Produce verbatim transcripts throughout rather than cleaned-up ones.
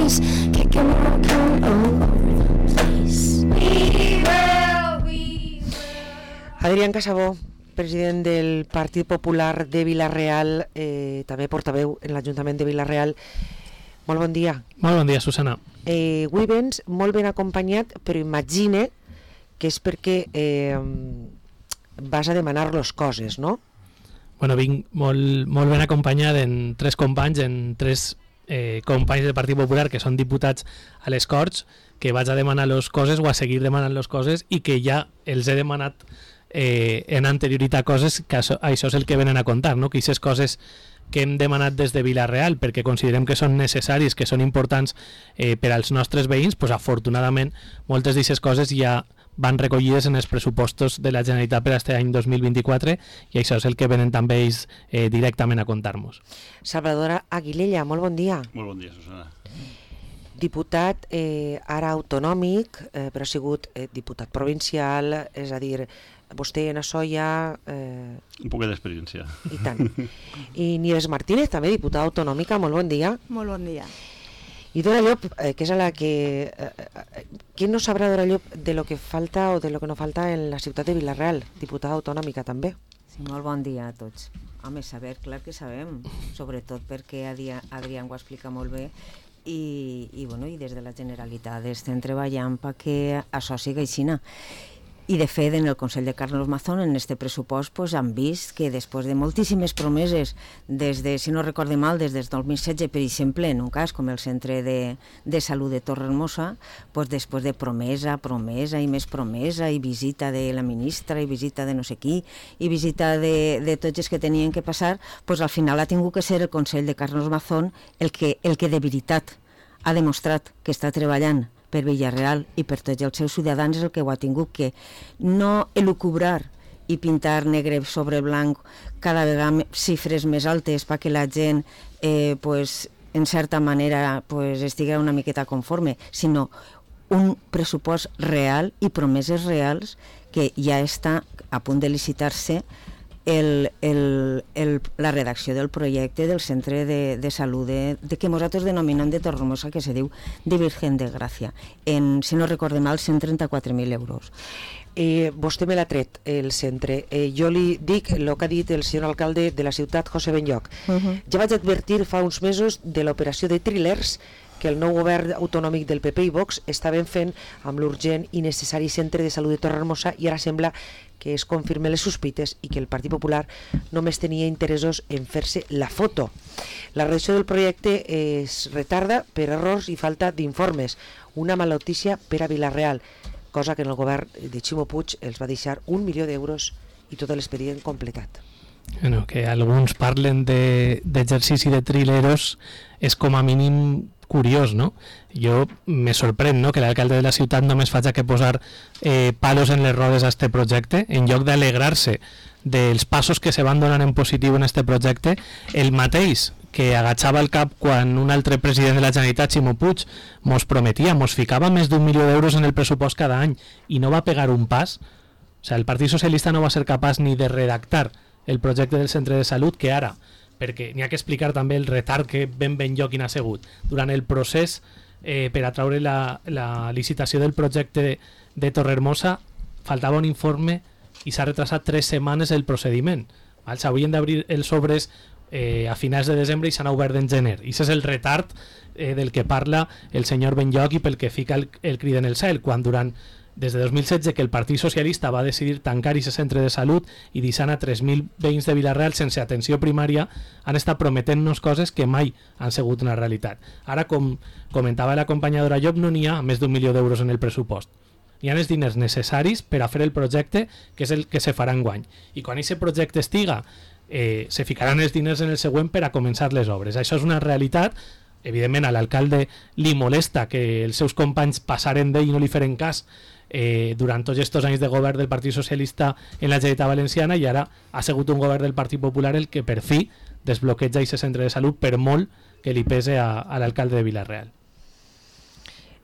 place, kicking and rocking all over the place. We will, we will. Adrián Casabó, president del Partit Popular de Vila-real, eh, també portaveu en l'Ajuntament de Vila-real. Molt bon dia. Molt bon dia, Susana. Eh, avui vens molt ben acompanyat, però imagine que és perquè eh, vas a demanar les coses, no? Bueno, vinc molt, molt ben acompanyat en tres companys, en tres eh, companys del Partit Popular que són diputats a les Corts, que vaig a demanar les coses o a seguir demanant les coses i que ja els he demanat eh, en anterioritat coses, que això, això és el que venen a contar, no? Que aquestes coses que hem demanat des de Vila-real perquè considerem que són necessaris, que són importants eh, per als nostres veïns, pues, afortunadament moltes d'aquestes coses ja van recollides en els pressupostos de la Generalitat per a aquest any dos mil vint-i-quatre i això és el que venen també ells eh, directament a contar-nos. Salvador Aguilella, molt bon dia. Molt bon dia, Susana. Diputat eh, ara autonòmic, eh, però ha sigut eh, diputat provincial, és a dir, vostè en això ja... Eh, Un poc d'experiència. I tant. I Nieves Martínez, també diputada autonòmica, molt bon dia. Molt bon dia. I Dora Llop, eh, que és a la que... Eh, qui no sabrà, Dora Llop, de lo que falta o de lo que no falta en la ciutat de Vila-real, diputada autonòmica també? Sí, molt bon dia a tots. Home, saber, clar que sabem, sobretot perquè Adrián ho explica molt bé i, i, bueno, i des de la Generalitat estem treballant perquè això sigui aixina. I de fet en el Consell de Carlos Mazón en este pressupost pues, han vist que després de moltíssimes promeses des de, si no recorde mal, des del dos mil setze, per exemple, en un cas com el Centre de, de Salut de Torrehermosa, pues, després de promesa, promesa i més promesa i visita de la ministra i visita de no sé qui i visita de, de tots els que tenien que passar, pues, al final ha tingut que ser el Consell de Carlos Mazón el que, el que de veritat ha demostrat que està treballant per Vila-real i per tots els seus ciutadans és el que ho ha tingut, que no elucubrar i pintar negre sobre blanc cada vegada xifres més altes perquè la gent eh, pues, en certa manera pues, estigui una miqueta conforme, sinó un pressupost real i promeses reals que ja està a punt de licitar-se El, el, el, la redacció del projecte del centre de, de salut de, de que nosaltres denominem de Torrehermosa, que se diu de Virgen de Gràcia, en, si no recorde mal, cent trenta-quatre mil euros. Eh, vostè me l'ha tret, el centre. Eh, jo li dic el que ha dit el senyor alcalde de la ciutat, José Benlloch. Uh-huh. Ja vaig advertir fa uns mesos de l'operació de thrillers que el nou govern autonòmic del P P i Vox estaven fent amb l'urgent i necessari centre de salut de Torrehermosa i ara sembla que es confirmen les sospites i que el Partit Popular només tenia interessos en fer-se la foto. La redacció del projecte es retarda per errors i falta d'informes, una mala notícia per a Vila-real, cosa que en el govern de Ximo Puig els va deixar un milió d'euros i tot l'expedient completat. Bueno, que alguns parlen d'exercici de, de trileros és com a mínim curiós, no? Jo me sorprèn, no?, que l'alcalde de la ciutat només faci que posar eh, palos en les rodes a este projecte, en lloc d'alegrar-se dels passos que se van donant en positiu en este projecte, el mateix que agachava el cap quan un altre president de la Generalitat, Ximo Puig, mos prometia, mos ficava més d'un milió d'euros en el pressupost cada any i no va pegar un pas. O sigui, el Partit Socialista no va ser capaç ni de redactar el projecte del centre de salut, que ara, perquè n'hi ha que explicar també el retard que ben ben lloc n'ha sigut. Durant el procés eh, per a traure la, la licitació del projecte de, de Torrehermosa faltava un informe i s'ha retrasat tres setmanes el procediment. S'havien d'obrir els sobres eh, a finals de desembre i s'han obert en gener. I aquest és el retard eh, del que parla el senyor Benlloch i pel que fica el, el crit en el cel, quan durant des de dos mil setze que el Partit Socialista va decidir tancar aquest centre de salut i deixant a tres mil veïns de Vila-real sense atenció primària, han estat prometent-nos coses que mai han sigut una realitat. Ara, com comentava la companya Dora Llop, no n'hi ha més d'un milió d'euros en el pressupost. Hi ha els diners necessaris per a fer el projecte, que és el que se farà enguany. I quan aquest projecte estiga, eh, se ficaran els diners en el següent per a començar les obres. Això és una realitat. Evidentment, a l'alcalde li molesta que els seus companys passaren d'ell i no li feren cas Eh, durant tots aquests anys de govern del Partit Socialista en la Generalitat Valenciana, i ara ha sigut un govern del Partit Popular el que per fi desbloqueja aquest centre de salut, per molt que li pese a, a l'alcalde de Vila-real.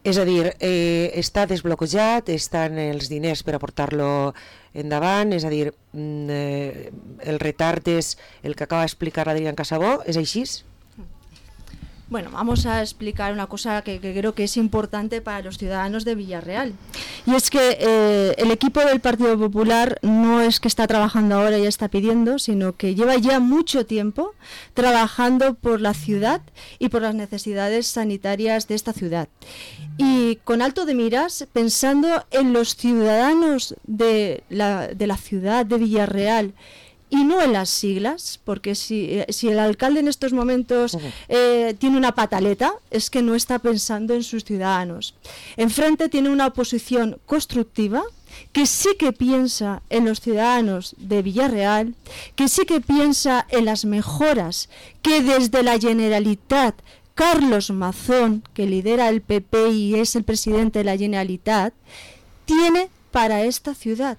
És a dir, eh, està desbloquejat, estan els diners per a portar-lo endavant, és a dir, eh, el retard és el que acaba d'explicar Adrián Casabó, és així? Bueno, vamos a explicar una cosa que, que creo que es importante para los ciudadanos de Villarreal. Y es que eh, el equipo del Partido Popular no es que está trabajando ahora y está pidiendo, sino que lleva ya mucho tiempo trabajando por la ciudad y por las necesidades sanitarias de esta ciudad. Y con alto de miras, pensando en los ciudadanos de la, de la ciudad de Villarreal, y no en las siglas, porque si, si el alcalde en estos momentos eh, tiene una pataleta, es que no está pensando en sus ciudadanos. Enfrente tiene una oposición constructiva, que sí que piensa en los ciudadanos de Villarreal, que sí que piensa en las mejoras que desde la Generalitat, Carlos Mazón, que lidera el P P y es el presidente de la Generalitat, tiene para esta ciudad,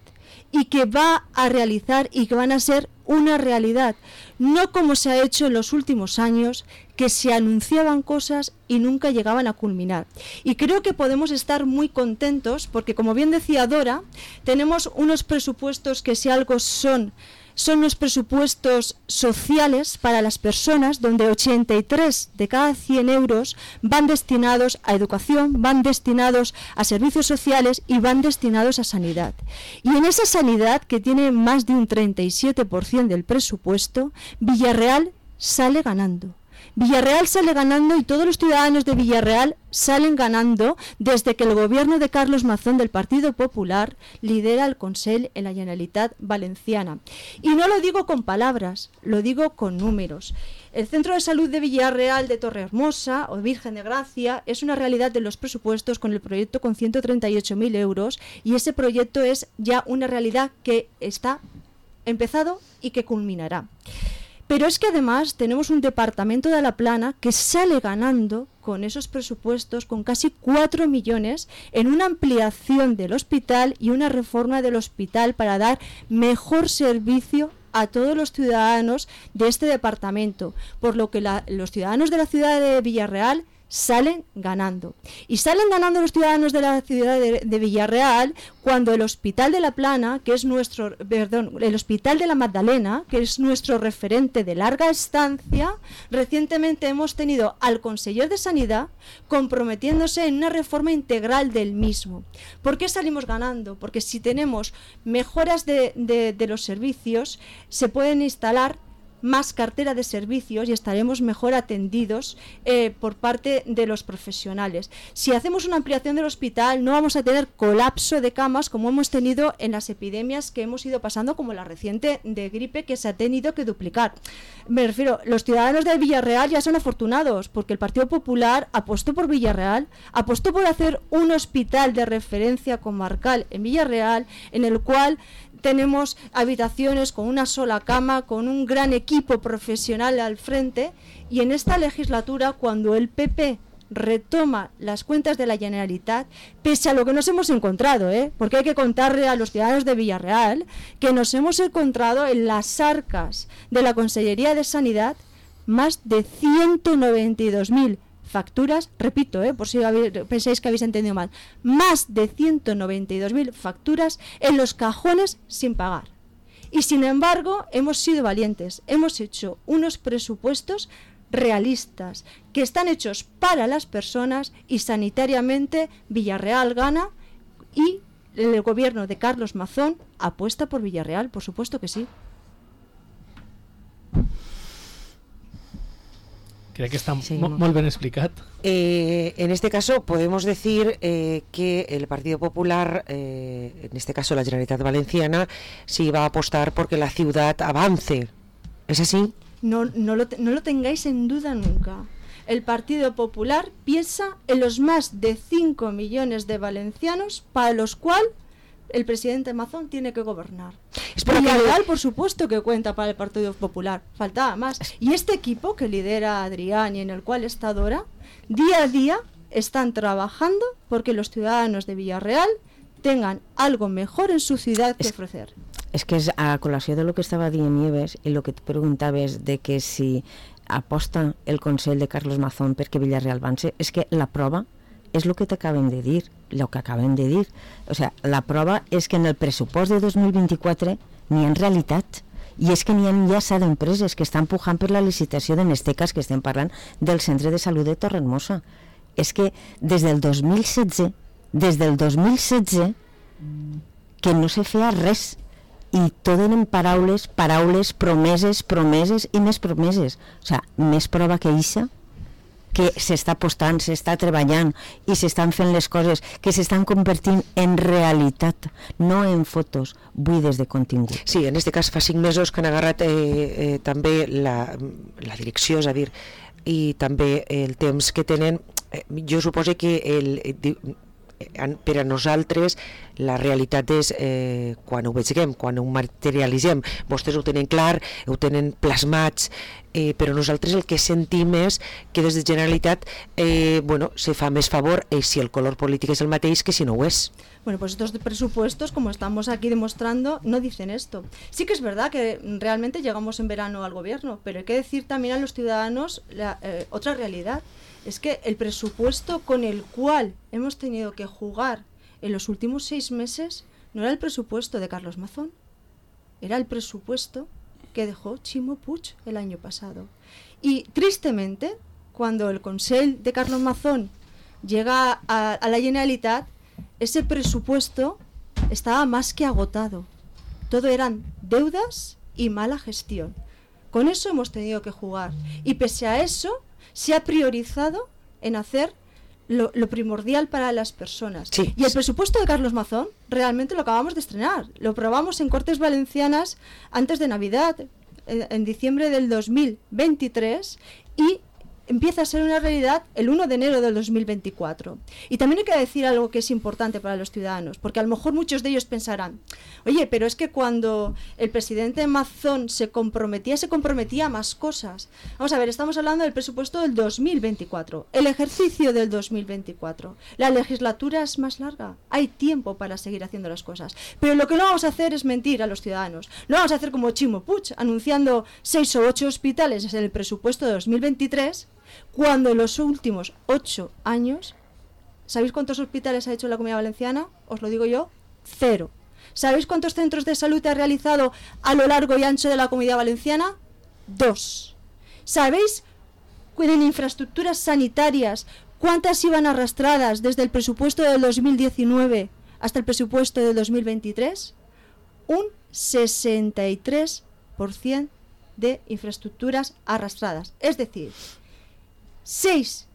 y que va a realizar y que van a ser una realidad, no como se ha hecho en los últimos años, que se anunciaban cosas y nunca llegaban a culminar. Y creo que podemos estar muy contentos porque, como bien decía Dora, tenemos unos presupuestos que si algo son son los presupuestos sociales para las personas, donde ochenta y tres de cada cien euros van destinados a educación, van destinados a servicios sociales y van destinados a sanidad. Y en esa sanidad, que tiene más de un treinta y siete por ciento del presupuesto, Villarreal sale ganando. Villarreal sale ganando y todos los ciudadanos de Villarreal salen ganando desde que el gobierno de Carlos Mazón del Partido Popular lidera el Consell en la Generalitat Valenciana. Y no lo digo con palabras, lo digo con números. El Centro de Salud de Villarreal de Torrehermosa o Virgen de Gracia es una realidad de los presupuestos con el proyecto con ciento treinta y ocho mil euros y ese proyecto es ya una realidad que está empezado y que culminará. Pero es que además tenemos un departamento de La Plana que sale ganando con esos presupuestos con casi cuatro millones en una ampliación del hospital y una reforma del hospital para dar mejor servicio a todos los ciudadanos de este departamento, por lo que la, los ciudadanos de la ciudad de Villarreal salen ganando. Y salen ganando los ciudadanos de la ciudad de, de Villarreal cuando el Hospital de La Plana, que es nuestro, perdón, el Hospital de la Magdalena, que es nuestro referente de larga estancia, recientemente hemos tenido al conseller de Sanidad comprometiéndose en una reforma integral del mismo. ¿Por qué salimos ganando? Porque si tenemos mejoras de, de, de los servicios, se pueden instalar más cartera de servicios y estaremos mejor atendidos eh, por parte de los profesionales. Si hacemos una ampliación del hospital, no vamos a tener colapso de camas como hemos tenido en las epidemias que hemos ido pasando, como la reciente de gripe, que se ha tenido que duplicar. Me refiero, los ciudadanos de Villarreal ya son afortunados porque el Partido Popular apostó por Villarreal, apostó por hacer un hospital de referencia comarcal en Villarreal, en el cual tenemos habitaciones con una sola cama, con un gran equipo profesional al frente, y en esta legislatura, cuando el P P retoma las cuentas de la Generalitat, pese a lo que nos hemos encontrado, ¿eh? Porque hay que contarle a los ciudadanos de Villarreal que nos hemos encontrado en las arcas de la Consellería de Sanidad más de ciento noventa y dos mil facturas, repito, eh, por si habéis, pensáis que habéis entendido mal, más de ciento noventa y dos mil facturas en los cajones sin pagar. Y sin embargo, hemos sido valientes, hemos hecho unos presupuestos realistas, que están hechos para las personas y sanitariamente Villarreal gana y el gobierno de Carlos Mazón apuesta por Villarreal, por supuesto que sí. Creo que está muy bien explicado. Eh, en este caso podemos decir eh, que el Partido Popular, eh, en este caso la Generalitat Valenciana, sí va a apostar porque la ciudad avance. ¿Es así? No, no, lo, no lo tengáis en duda nunca. El Partido Popular piensa en los más de cinco millones de valencianos para los cuales el presidente Mazón tiene que gobernar. Villarreal, que... por supuesto que cuenta para el Partido Popular, faltaba más. Y este equipo que lidera Adrián y en el cual está Dora, día a día están trabajando porque los ciudadanos de Villarreal tengan algo mejor en su ciudad que es, ofrecer. És que és a col·lació de lo que estava dient Nieves i lo que et preguntaves de que si aposta el Consell de Carlos Mazón perquè Villarreal avance, és que la prova és el que t'acaben de dir, el que acaben de dir. O sea, la prova és que en el pressupost de dos mil vint-i-quatre n'hi ha en realitat I és que n'hi ha ja set empreses que estan pujant per la licitació de Nestecas, que estem parlant del Centre de Salut de Torremossa. És que des del dos mil setze, des del dos mil setze, que no se feia res. I tot eren paraules, paraules, promeses, promeses i més promeses. O sigui, més prova que ixa, que s'està apostant, s'està treballant i s'estan fent les coses que s'estan convertint en realitat, no en fotos buides de contingut. Sí, en aquest cas fa cinc mesos que han agarrat eh, eh, també la, la direcció, és a dir, i també el temps que tenen. Eh, jo suposo que el, eh, per a nosaltres la realitat és eh, quan ho veiem, quan ho materialitzem. Vostès ho tenen clar, ho tenen plasmats, eh, però nosaltres el que sentim és que des de Generalitat eh, bueno, se fa més favor eh, si el color polític és el mateix que si no ho és. Bueno, pues estos presupuestos, como estamos aquí demostrando, no dicen esto. Sí que es verdad que realmente llegamos en verano al gobierno, pero hay que decir también a los ciudadanos la, eh, otra realidad. Es que el presupuesto con el cual hemos tenido que jugar en los últimos seis meses no era el presupuesto de Carlos Mazón, era el presupuesto que dejó Chimo Puig el año pasado. Y tristemente, cuando el Consell de Carlos Mazón llega a, a la Generalitat, ese presupuesto estaba más que agotado. Todo eran deudas y mala gestión. Con eso hemos tenido que jugar. Y pese a eso, se ha priorizado en hacer lo, lo primordial para las personas. Sí. Y el presupuesto de Carlos Mazón realmente lo acabamos de estrenar. Lo probamos en Cortes Valencianas antes de Navidad, en, en diciembre del dos mil veintitrés, y empieza a ser una realidad el uno de enero del dos mil veinticuatro. Y también hay que decir algo que es importante para los ciudadanos, porque a lo mejor muchos de ellos pensarán, oye, pero es que cuando el presidente Mazón se comprometía, se comprometía a más cosas. Vamos a ver, estamos hablando del presupuesto del dos mil veinticuatro, el ejercicio del dos mil veinticuatro. La legislatura es más larga, hay tiempo para seguir haciendo las cosas. Pero lo que no vamos a hacer es mentir a los ciudadanos. No vamos a hacer como Chimo Puig, anunciando seis o ocho hospitales en el presupuesto de dos mil veintitrés, cuando en los últimos ocho años, ¿sabéis cuántos hospitales ha hecho la Comunidad Valenciana? Os lo digo yo, cero. ¿Sabéis cuántos centros de salud ha realizado a lo largo y ancho de la Comunidad Valenciana? Dos. ¿Sabéis en infraestructuras sanitarias cuántas iban arrastradas desde el presupuesto del dos mil diecinueve hasta el presupuesto del dos mil veintitrés? Un sesenta y tres por ciento de infraestructuras arrastradas. Es decir, seis,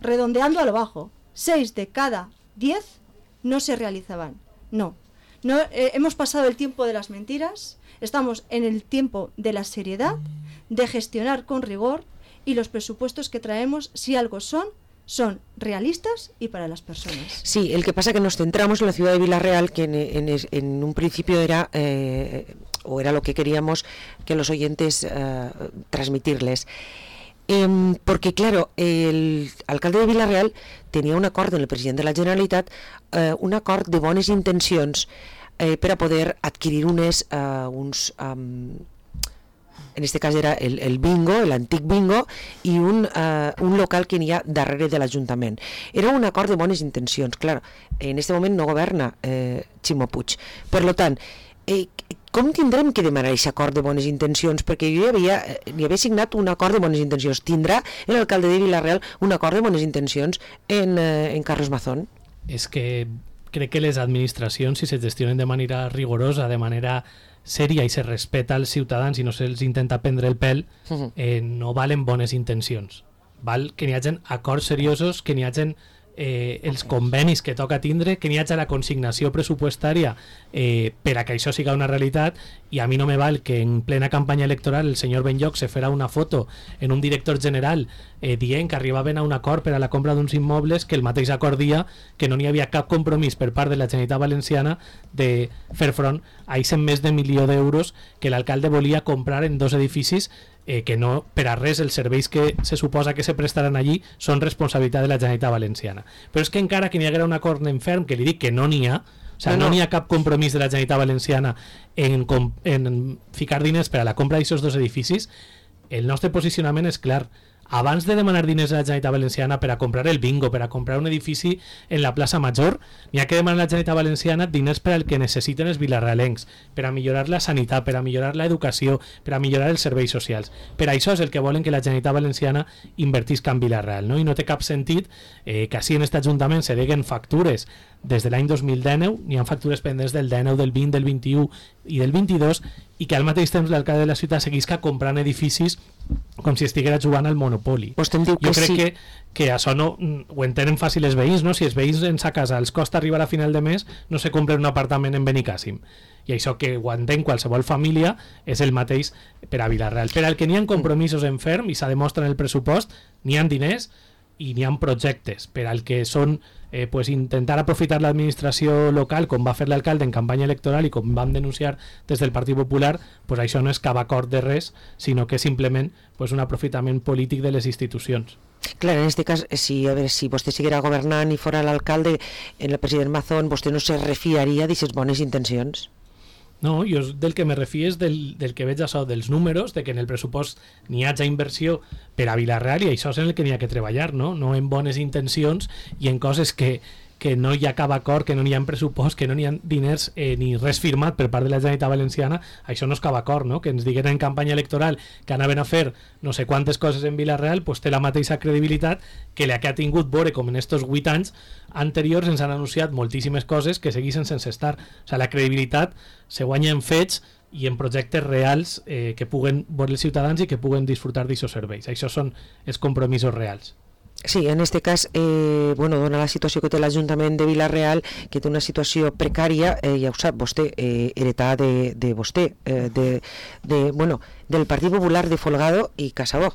redondeando a lo bajo, seis de cada diez no se realizaban. No, no eh, hemos pasado el tiempo de las mentiras, estamos en el tiempo de la seriedad, de gestionar con rigor, y los presupuestos que traemos, si algo son, son realistas y para las personas. Sí, el que pasa que nos centramos en la ciudad de Villarreal, que en, en, en un principio era, eh, o era lo que queríamos que los oyentes eh, transmitirles. Eh, porque, claro, el alcalde de Villarreal tenia un acord amb el president de la Generalitat, eh, un acord de bones intencions eh, per a poder adquirir unes, eh, uns, um, en este cas era el, el bingo, l'antic bingo, i un, uh, un local que n'hi ha darrere de l'Ajuntament. Era un acord de bones intencions. Clar, en este moment no governa eh, Ximo Puig. Per lo tant, eh, com tindrem que demanar aquest acord de bones intencions? Perquè jo ja havia, hi havia signat un acord de bones intencions. Tindrà l'alcalde de Villarreal un acord de bones intencions en, eh, en Carlos Mazón? És que crec que les administracions, si se gestionen de manera rigorosa, de manera sèria i se respeta als ciutadans i no se'ls intenta prendre el pèl, eh, no valen bones intencions. Val que n'hi hagi acords seriosos, que n'hi hagi eh, els convenis que toca tindre, que n'hi hagi la consignació pressupostària eh, per a que això siga una realitat, i a mi no me val que en plena campanya electoral el senyor Benlloch se farà una foto en un director general eh, dient que arribaven a un acord per a la compra d'uns immobles, que el mateix acord dia que no n'hi havia cap compromís per part de la Generalitat Valenciana de fer front a aquest més de milió d'euros que l'alcalde volia comprar en dos edificis eh, que no, per a res, els serveis que se suposa que se prestaran allí són responsabilitat de la Generalitat Valenciana. Però és que encara que n'hi haguera un acord en ferm, que li dic que no n'hi ha, o sigui, no n'hi ha cap compromís de la Generalitat Valenciana en, en ficar diners per a la compra d'aquests dos edificis, el nostre posicionament és clar. abans de demanar diners a la Generalitat Valenciana per a comprar el bingo, per a comprar un edifici en la plaça Major, n'hi ha que demanar a la Generalitat Valenciana diners per al que necessiten els vilarealencs, per a millorar la sanitat, per a millorar l'educació, per a millorar els serveis socials. Per això és el que volen que la Generalitat Valenciana invertisca en Vila-real, no? I no té cap sentit eh, que així en aquest Ajuntament se deguen factures des de l'any dos mil dinou, n'hi ha factures pendents del dinou, del vint, del vint-i-u i del vint-i-dos, i que al mateix temps l'alcalde de la ciutat seguisca comprant edificis com si estiguera jugant al Monopoli. Vostè em diu que jo crec sí. que, que això no ho entenen fàcil els veïns, no? Si els veïns en sa casa els costa arribar a final de mes, no se compren un apartament en Benicàssim. I això que ho entén qualsevol família és el mateix per a Vila-real. Per al que n'hi ha compromisos en ferm i s'ha demostrat en el pressupost, n'hi ha diners i n'hi ha projectes. Per al que són eh, pues intentar aprofitar l'administració local, com va fer l'alcalde en campanya electoral i com vam denunciar des del Partit Popular, pues això no és cap acord de res, sinó que és simplement pues, un aprofitament polític de les institucions. Clar, en aquest cas, si, a veure, si vostè seguirà governant i fora l'alcalde, en el president Mazón, vostè no se refiaria d'aquestes bones intencions? No, jo del que me refio és del, del que veig això, dels números, de que en el pressupost n'hi hagi inversió per a Vila-real i això és en el que n'hi ha que treballar, no? No en bones intencions i en coses que, que no hi ha cap acord, que no n'hi ha pressupost, que no n'hi ha diners eh, ni res firmat per part de la Generalitat Valenciana. Això no és cap acord, no? Que ens diguin en campanya electoral que anaven a fer no sé quantes coses en Vila-real, pues té la mateixa credibilitat que la que ha tingut veure com en estos vuit anys anteriors ens han anunciat moltíssimes coses que segueixen sense estar. O sigui, la credibilitat se guanya en fets i en projectes reals eh, que puguen veure els ciutadans i que puguen disfrutar d'aquests serveis. Això són els compromisos reals. Sí, en aquest cas, eh, bueno, dona la situació que té l'Ajuntament de Vila-real, que té una situació precària, eh, ja ho sap vostè, eh, heretada de, de vostè, eh, de, de, bueno, del Partit Popular de Folgado i Casabó.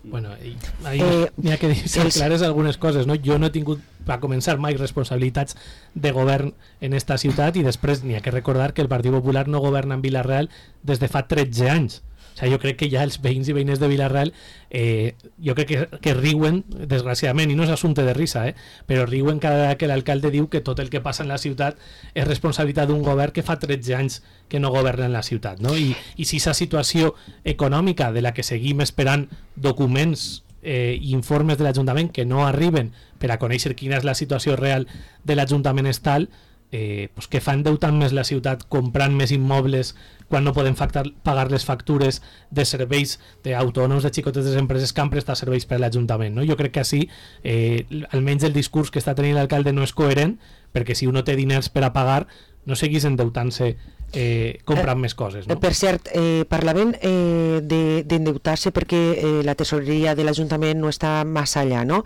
Bueno, ahí Eh, n'hi ha que dir ser els- clares algunes coses, no? Jo no he tingut, a començar, mai responsabilitats de govern en esta ciutat i després n'hi ha que recordar que el Partit Popular no governa en Vila-real des de fa tretze anys. O sigui, jo crec que ja els veïns i veïnes de Vila-real eh, jo crec que, que riuen, desgraciadament, i no és assumpte de risa, eh, però riuen cada vegada que l'alcalde diu que tot el que passa en la ciutat és responsabilitat d'un govern que fa tretze anys que no governa en la ciutat, no? I, i si aquesta situació econòmica de la que seguim esperant documents eh, i informes de l'Ajuntament que no arriben per a conèixer quina és la situació real de l'Ajuntament és tal, eh, pues que fa endeutant més la ciutat comprant més immobles quan no podem factar, pagar les factures de serveis d'autònoms, de xicotetes empreses que han prestat serveis per a l'Ajuntament, no? Jo crec que així, eh, almenys el discurs que està tenint l'alcalde no és coherent, perquè si uno té diners per a pagar, no seguís endeutant-se eh, comprant eh, més coses, no? Per cert, eh, parlaven eh, de- d'endeutar-se perquè eh, la tesoreria de l'Ajuntament no està massa allà, no?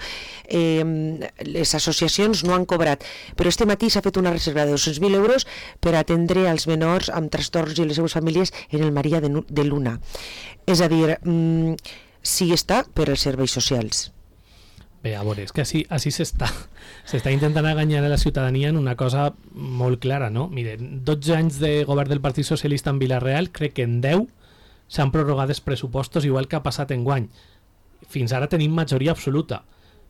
Eh, les associacions no han cobrat, però este matí s'ha fet una reserva de dos-cents mil euros per atendre als menors amb trastorns i les seves famílies en el Maria de, Nu- de Luna. És a dir, mm, sí està per als serveis socials. Bé, a veure, és que així, així s'està s'està intentant enganyar a la ciutadania en una cosa molt clara, no? Mire, dotze anys de govern del Partit Socialista en Vila-real, crec que en deu s'han prorrogat els pressupostos igual que ha passat enguany. Fins ara tenim majoria absoluta.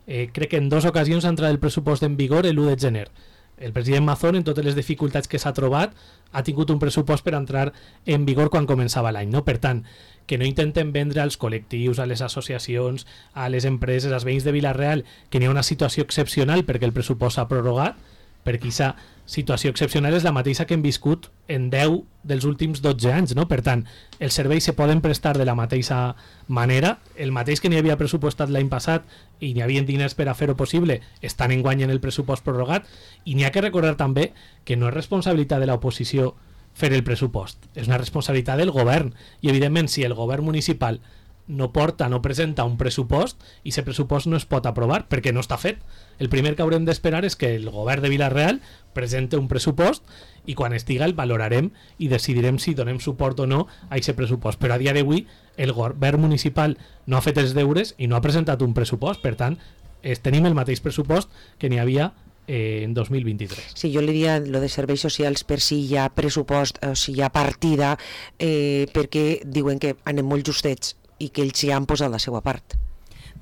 Eh, crec que en dues ocasions ha entrat el pressupost en vigor l'u de gener. El president Mazón, en totes les dificultats que s'ha trobat, ha tingut un pressupost per entrar en vigor quan començava l'any, no? Per tant, que no intenten vendre als col·lectius, a les associacions, a les empreses, als veïns de Vila-real, que n'hi ha una situació excepcional perquè el pressupost s'ha prorrogat, perquè aquesta situació excepcional és la mateixa que hem viscut en deu dels últims dotze anys, no? Per tant, els serveis se poden prestar de la mateixa manera, el mateix que n'hi havia pressupostat l'any passat i n'hi havia diners per a fer-ho possible, estan enguany en el pressupost prorrogat, i n'hi ha que recordar també que no és responsabilitat de l'oposició fer el pressupost, és una responsabilitat del govern, i evidentment si el govern municipal no porta, no presenta un pressupost i aquest pressupost no es pot aprovar perquè no està fet. El primer que haurem d'esperar és que el govern de Vila-real presente un pressupost i quan estiga el valorarem i decidirem si donem suport o no a aquest pressupost, però a dia d'avui el govern municipal no ha fet els deures i no ha presentat un pressupost, per tant es, tenim el mateix pressupost que n'hi havia eh, en dos mil vint-i-tres. Sí, jo li diria lo de serveis socials per si hi ha pressupost o si hi ha partida, eh, perquè diuen que anem molt justets i que ells hi han posat la seva part.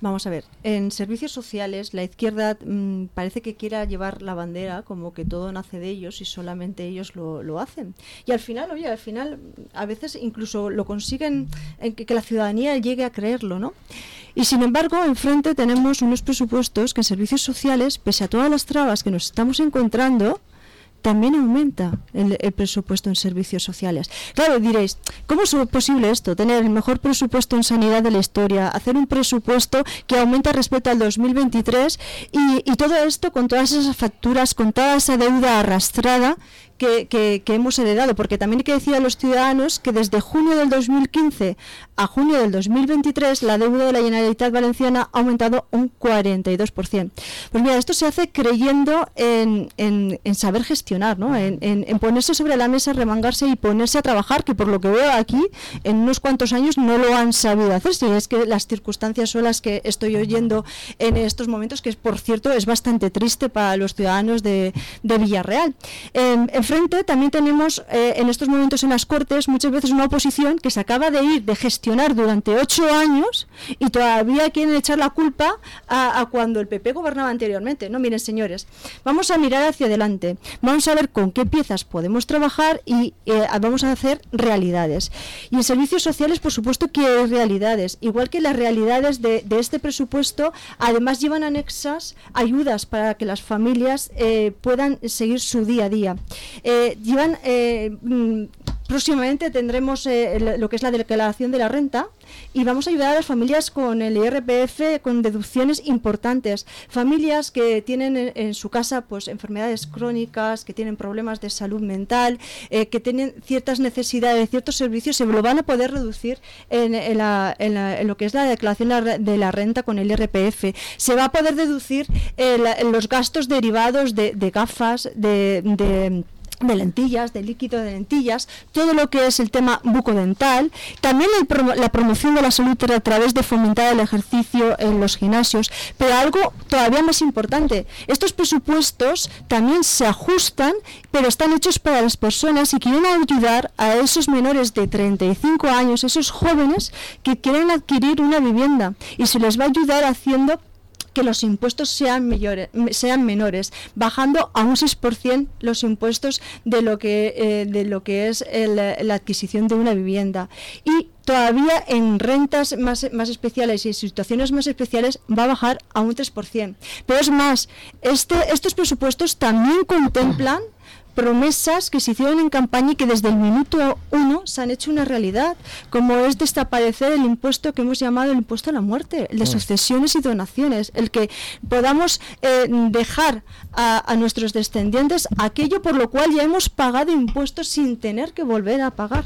Vamos a ver, en servicios sociales la izquierda mmm, parece que quiera llevar la bandera como que todo nace de ellos y solamente ellos lo, lo hacen. Y al final, oye, al final a veces incluso lo consiguen en que, que la ciudadanía llegue a creerlo, ¿no? Y sin embargo, enfrente tenemos unos presupuestos que en servicios sociales, pese a todas las trabas que nos estamos encontrando, también aumenta el, el presupuesto en servicios sociales. Claro, diréis, ¿cómo es posible esto? Tener el mejor presupuesto en sanidad de la historia, hacer un presupuesto que aumenta respecto al dos mil veintitrés y, y todo esto con todas esas facturas, con toda esa deuda arrastrada que, que, que hemos heredado, porque también hay que decir a los ciudadanos que desde junio del dos mil quince a junio del dos mil veintitrés la deuda de la Generalitat Valenciana ha aumentado un cuarenta y dos por ciento. Pues mira, esto se hace creyendo en, en, en saber gestionar, ¿no? En, en, en ponerse sobre la mesa, remangarse y ponerse a trabajar, que por lo que veo aquí, en unos cuantos años no lo han sabido hacer, si es que las circunstancias son las que estoy oyendo en estos momentos, que por cierto es bastante triste para los ciudadanos de, de Villarreal. En, enfrente también tenemos eh, en estos momentos en las Cortes muchas veces una oposición que se acaba de ir de gestionar durante ocho años y todavía quieren echar la culpa a, a cuando el P P gobernaba anteriormente. No, miren, señores, vamos a mirar hacia adelante, vamos a ver con qué piezas podemos trabajar y eh, vamos a hacer realidades. Y en servicios sociales, por supuesto que hay realidades, igual que las realidades de, de este presupuesto, además llevan anexas ayudas para que las familias eh, puedan seguir su día a día. Eh, llevan eh, mm, próximamente tendremos eh, lo que es la declaración de la renta y vamos a ayudar a las familias con el I R P F, con deducciones importantes. Familias que tienen en, en su casa pues enfermedades crónicas, que tienen problemas de salud mental, eh, que tienen ciertas necesidades, ciertos servicios, se lo van a poder reducir en, en, la, en, la, en lo que es la declaración de la renta con el I R P F. Se va a poder deducir eh, la, los gastos derivados de, de gafas, de... de de lentillas, de líquido de lentillas, todo lo que es el tema bucodental, también el promo la promoción de la salud a través de fomentar el ejercicio en los gimnasios, pero algo todavía más importante, estos presupuestos también se ajustan, pero están hechos para las personas y quieren ayudar a esos menores de treinta y cinco años, esos jóvenes que quieren adquirir una vivienda y se les va a ayudar haciendo que los impuestos sean, mayores, sean menores, bajando a un seis por ciento los impuestos de lo que, eh, de lo que es el, la adquisición de una vivienda. Y todavía en rentas más, más especiales y en situaciones más especiales va a bajar a un tres por ciento. Pero es más, este, estos presupuestos también contemplan promesas que se hicieron en campaña y que desde el minuto uno se han hecho una realidad, como es desaparecer el impuesto que hemos llamado el impuesto a la muerte, el de sucesiones y donaciones, el que podamos eh, dejar a, a nuestros descendientes aquello por lo cual ya hemos pagado impuestos sin tener que volver a pagar.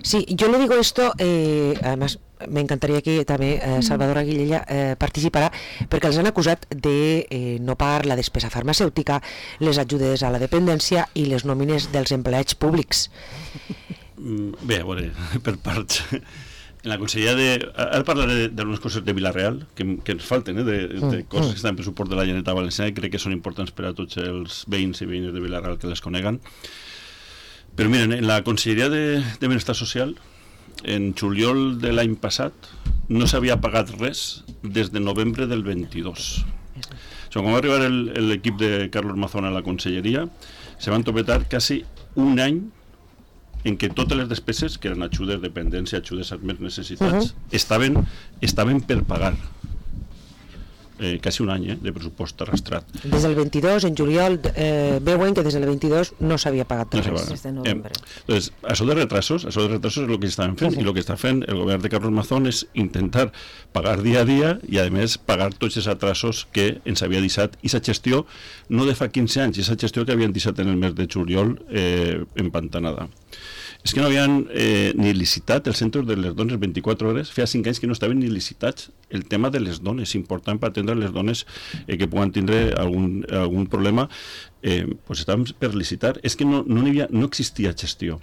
Sí, yo le digo esto, eh, además me encantaría que també eh, Salvador Aguilella eh, participarà, perquè els han acusat de eh, no pagar la despesa farmacèutica, les ajudes a la dependència i les nòmines dels empleats públics. Bé, a veure, per parts. En la conselleria de... Ara parlaré d'algunes coses de Vila-real que, que ens falten, eh, de, de coses que estan per suport de la Generalitat Valenciana i crec que són importants per a tots els veïns i veïnes de Vila-real que les coneguen. Però miren, en la conselleria de, de Benestar Social, en juliol de l'any passat no s'havia pagat res des de novembre del vint-i-dos. O sigui, quan va arribar l'equip de Carlos Mazón a la conselleria, se van topetar quasi un any en què totes les despeses, que eren ajudes, dependència, ajudes als més necessitats, uh-huh. estaven, estaven per pagar. Eh, quasi un any eh, de pressupost arrastrat. Des del vint-i-dos, en juliol, eh, veuen que des del vint-i-dos no s'havia pagat res. No des de novembre. Eh, entonces, això de retrasos, això de retrasos és el que estaven fent, sí. I el que està fent el govern de Carlos Mazón és intentar pagar dia a dia i, a més, pagar tots els atrasos que ens havia deixat i sa gestió no de fa quinze anys, i sa gestió que havien deixat en el mes de juliol eh, empantanada. És que no havien eh, ni licitat els centres de les dones vint-i-quatre hores, feia cinc anys que no estaven ni licitats el tema de les dones, important per atendre les dones eh, que puguen tindre algun, algun problema, eh, pues estaven per licitar. És que no, no, hi havia, no existia gestió.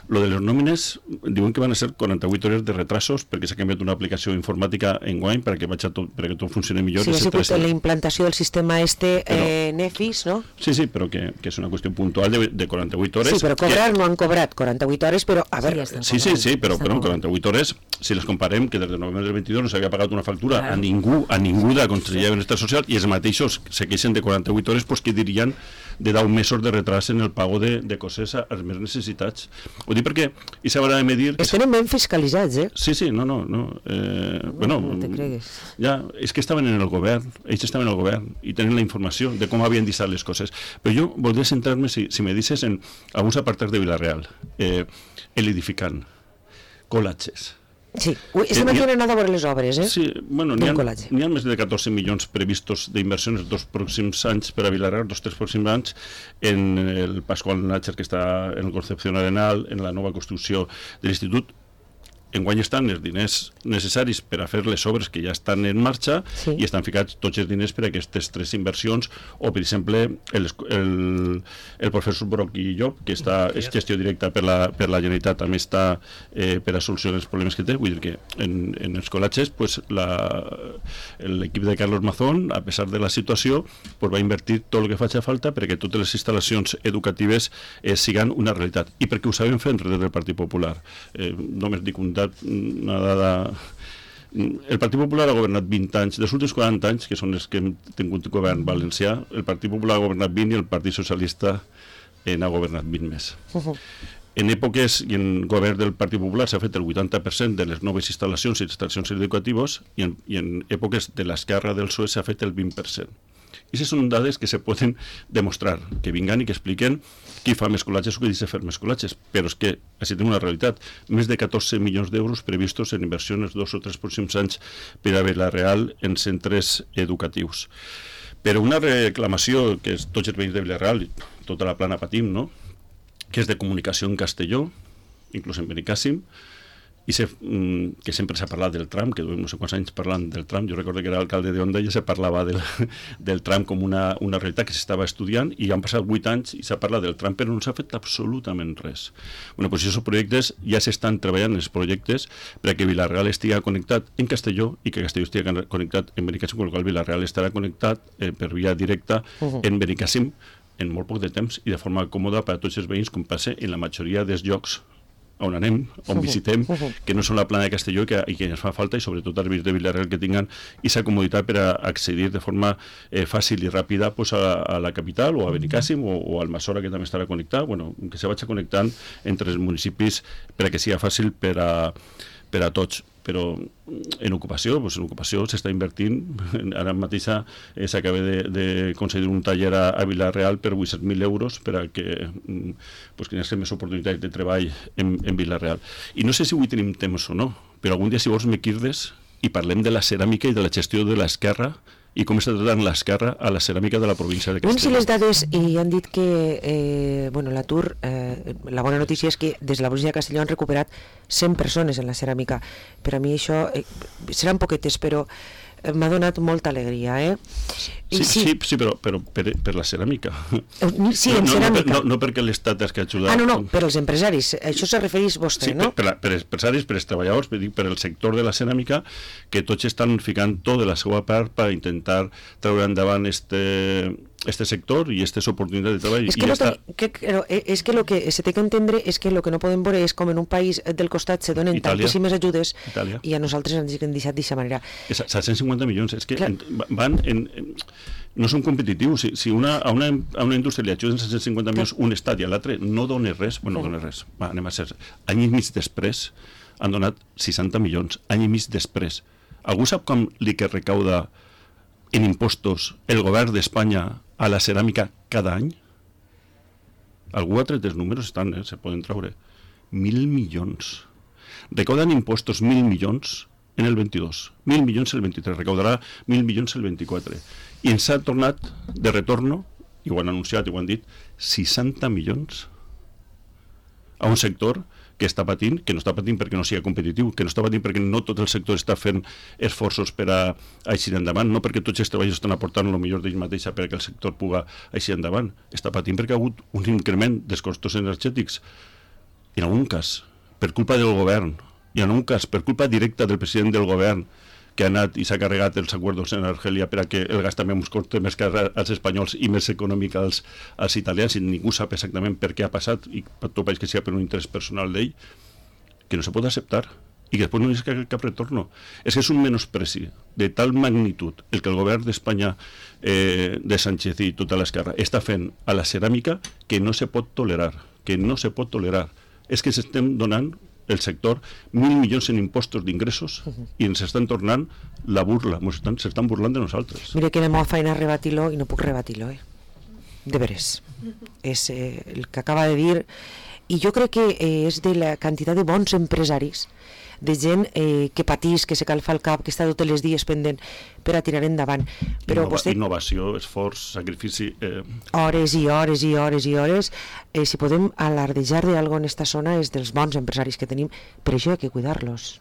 Lo de les nòmines, diuen que van a ser quaranta-vuit hores de retrasos perquè s'ha canviat una aplicació informàtica en guany perquè, tot, perquè tot funcioni millor. Sí, ha sigut la implantació del sistema este però, eh, Nefis, no? Sí, sí, però que, que és una qüestió puntual de, de quaranta-vuit hores. Sí, però cobrar que... no han cobrat quaranta-vuit hores, però a veure... Sí, sí, sí, però, però quaranta-vuit hores, si les comparem, que des de novembre del vint-i-dos no s'havia pagat una factura claro. a ningú, a ningú de la Conselleria de Benestar Social, i els mateixos se queixen de quaranta-vuit hores, pues, que dirien de deu mesos de retras en el pago de, de coses als més necessitats. Ho dic perquè i s'haurà de medir... Es tenen ben fiscalitzats, eh? Sí, sí, no, no. no. Eh, no bueno, no te cregues. Ja, és que estaven en el govern, ells estaven en el govern i tenen la informació de com havien deixat les coses. Però jo voldria centrar-me, si, si me dices, en alguns apartats de Vila-real. Eh, el edificant, colatges. Sí, este matí han anat a veure les obres, eh? Sí, bueno, n'hi ha, n'hi ha més de catorze milions previstos d'inversió en els dos pròxims anys per a Vila-real, els dos tres pròxims anys, en el Pasqual Nácher, que està en el Concepción Arenal, en la nova construcció de l'institut. Enguany estan els diners necessaris per a fer les obres que ja estan en marxa sí. i estan ficats tots els diners per a aquestes tres inversions, o per exemple el, el, el professor Broc i Llop, que està, és gestió directa per la, per la Generalitat, també està eh, per a solucionar els problemes que té. Vull dir que en, en els col·latges pues, l'equip de Carlos Mazón, a pesar de la situació, pues, va invertir tot el que faci falta perquè totes les instal·lacions educatives eh, siguen una realitat, i perquè ho sabem fer des del Partit Popular. Eh, només dic un una dada. El Partit Popular ha governat vint anys, dels últims quaranta anys, que són els que hem tingut govern valencià, el Partit Popular ha governat vint i el Partit Socialista n'ha governat vint més. Uh-huh. En èpoques i en govern del Partit Popular s'ha fet el vuitanta per cent de les noves instal·lacions i instal·lacions educatives, i en, i en èpoques de l'esquerra del P S O E s'ha fet el vint per cent. I aquestes són dades que se poden demostrar, que vinguen i que expliquen qui fa més col·latges o qui deixa fer més col·latges, però és que així tenim una realitat, més de catorze milions d'euros previstos en inversió en els dos o tres pròxims anys per a Vila-real en centres educatius. Però una reclamació que és tots els veïns de Vila-real, tota la plana patim, no? Que és de comunicació en Castelló, inclús en Benicàssim, i sé, que sempre s'ha parlat del tram, que duem no sé quants anys parlant del tram. Jo recordo que era alcalde d'Onda i ja se parlava del, del tram com una, una realitat que s'estava estudiant, i han passat vuit anys i s'ha parlat del tram, però no s'ha fet absolutament res. Bueno, doncs aquests projectes ja s'estan treballant, els projectes, perquè Vila-real estigui connectat en Castelló i que Castelló estigui connectat en Benicàssim, amb el qual Vila-real estarà connectat eh, per via directa uh-huh. en Benicàssim en molt poc de temps i de forma còmoda per a tots els veïns, com passa en la majoria dels llocs on anem, on visitem, que no són la plana de Castelló i que, i que ens fa falta, i sobretot als veïns de Vila-real que tinguin aquesta comoditat per a accedir de forma eh, fàcil i ràpida pues, a, a la capital o a Benicàssim o, o al Almassora, que també estarà connectat, bueno, que se vagi connectant entre els municipis per a que sigui fàcil per a, per a tots. Però en ocupació, doncs en ocupació s'està invertint, ara mateix eh, s'acaba de, de concedir un taller a, a Vila-real per vuit-cents mil euros per a que pues, que hi hagi més oportunitats de treball en, en Vila-real. I no sé si avui tenim temps o no, però algun dia si vols me quirdes i parlem de la ceràmica i de la gestió de l'esquerra i com està tratant l'esquerra a la ceràmica de la província de Castelló. Doncs si les dades, i han dit que eh, bueno, l'atur, eh, la bona notícia és que des de la província de Castelló han recuperat cent persones en la ceràmica. Per a mi això eh, seran poquetes, però eh, m'ha donat molta alegria, eh? Sí, sí, sí, sí però, però per, per la ceràmica. Sí, en no, ceràmica. No, no, no perquè l'Estat has que ajudar. Ah, no, no, per als empresaris. Això se refereix vostè, sí, no? Per, per, per els empresaris, per els treballadors, per, per el sector de la ceràmica, que tots estan ficant tot de la seva part per intentar treure endavant este... este sector y estas oportunidades de trabajo. Es que, lo está... que, que, es que lo que se té que entendre és que lo que no podem veure és com en un país del costat se donen Itàlia. Tantíssimes ajudes Itàlia. I a nosaltres ens han deixat d'aquesta manera. set cents cinquanta milions, és que en, van en, en, no són competitius. Si, si una, a, una, a una indústria li ajuden set cents cinquanta milions un estat i a l'altre no dona res, bueno, no dona res, va, anem a ser, any i mig després han donat seixanta milions, any i mig després. Algú sap com li que recauda en impostos el govern d'Espanya a la ceràmica cada any? Algú ha tret els números, estan, eh? Se poden treure. Mil milions. Recauden impostos mil milions en el vint-i-dos, mil milions el vint-i-tres, recaudarà mil milions el vint-i-quatre. I ens ha tornat de retorno, i ho han anunciat i ho han dit, seixanta milions a un sector que està patint, que no està patint perquè no sigui competitiu, que no està patint perquè no tot el sector està fent esforços per a aixir endavant, no perquè tots els treballadors estan aportant el millor d'ells mateixa perquè el sector puga aixir endavant, està patint perquè ha hagut un increment dels costos energètics en algun cas per culpa del govern, i en un cas per culpa directa del president del govern, que ha anat i s'ha carregat els acords en Argèlia per a que el gas també ens costi més car als espanyols i més econòmic als, als italians, i ningú sap exactament per què ha passat, i per tot país que sigui per un interès personal d'ell, que no se pot acceptar, i que després no hi ha cap, cap retorno. És que és un menospreci de tal magnitud el que el govern d'Espanya, eh, de Sánchez i tota l'esquerra, està fent a la ceràmica, que no se pot tolerar, que no se pot tolerar. És que s'estem donant el sector mil milions en impostos d'ingressos i ens estan tornant la burla, s'estan estan burlant de nosaltres. Mira que me feina rebatir-lo i no puc rebatir-lo, eh? De veres. És eh, el que acaba de dir, i jo crec que eh, és de la quantitat de bons empresaris, de gent eh, que patís, que se calfa el cap, que està tots els dies pendent per a tirar endavant. Però Innova, vostè... Innovació, esforç, sacrifici... Eh... Hores i hores i hores i hores. Eh, si podem alardejar d'algo en esta zona és dels bons empresaris que tenim, per això hi ha que cuidar-los.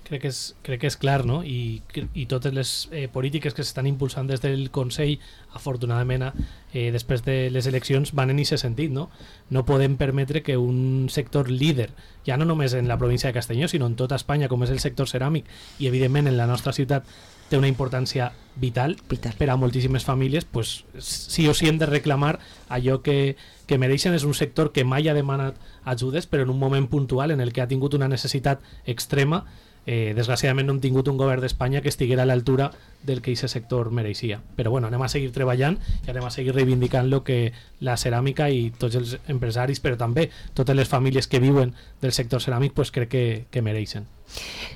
Crec que és, crec que és clar, no? I, i totes les eh, polítiques que s'estan impulsant des del Consell, afortunadament, eh, després de les eleccions, van en aquest sentit, no? No podem permetre que un sector líder, ja no només en la província de Castelló, sinó en tota Espanya, com és el sector ceràmic, i evidentment en la nostra ciutat té una importància vital, vital. per a moltíssimes famílies, pues, sí o sí hem de reclamar allò que, que mereixen. És un sector que mai ha demanat ajudes, però en un moment puntual en el que ha tingut una necessitat extrema. Eh, desgraciadament no hem tingut un govern d'Espanya que estiguera a l'altura del que aquest sector mereixia, però bueno, anem a seguir treballant i anem a seguir reivindicant lo que la ceràmica i tots els empresaris, però també totes les famílies que viuen del sector ceràmic, pues crec que, que mereixen.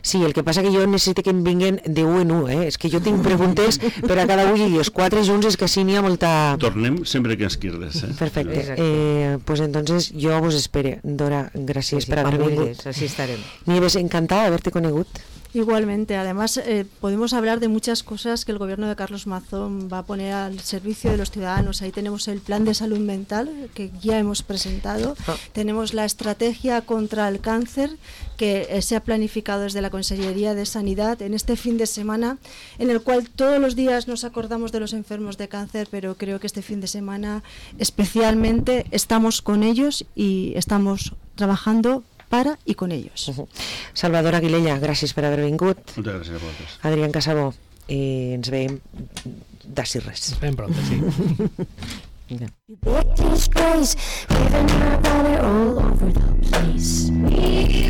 Sí, el que passa que jo necessito que em vinguen de u en u, eh? És que jo tinc preguntes per a cada un i els quatre junts és que sí n'hi ha molta... Tornem sempre que ens quirdes, eh? Perfecte. Eh, pues entonces jo vos espere. Dora, gràcies Sí, per haver vingut. así estarem. Nieves, encantada de haberte conegut. Igualmente, además eh, podemos hablar de muchas cosas que el gobierno de Carlos Mazón va a poner al servicio de los ciudadanos. Ahí tenemos el plan de salud mental que ya hemos presentado, Ah. tenemos la estrategia contra el cáncer que eh, se ha planificado desde la Consellería de Sanidad en este fin de semana, en el cual todos los días nos acordamos de los enfermos de cáncer, pero creo que este fin de semana especialmente estamos con ellos y estamos trabajando para i con ellos. Uh -huh. Salvador Aguilella, gràcies per haver vingut. Moltes gràcies a vosaltres. Adrián Casabó, eh, ens veiem d'ací res. Ens veiem pronto, sí. Mira. Big disgrace, living in our valley all over the place. We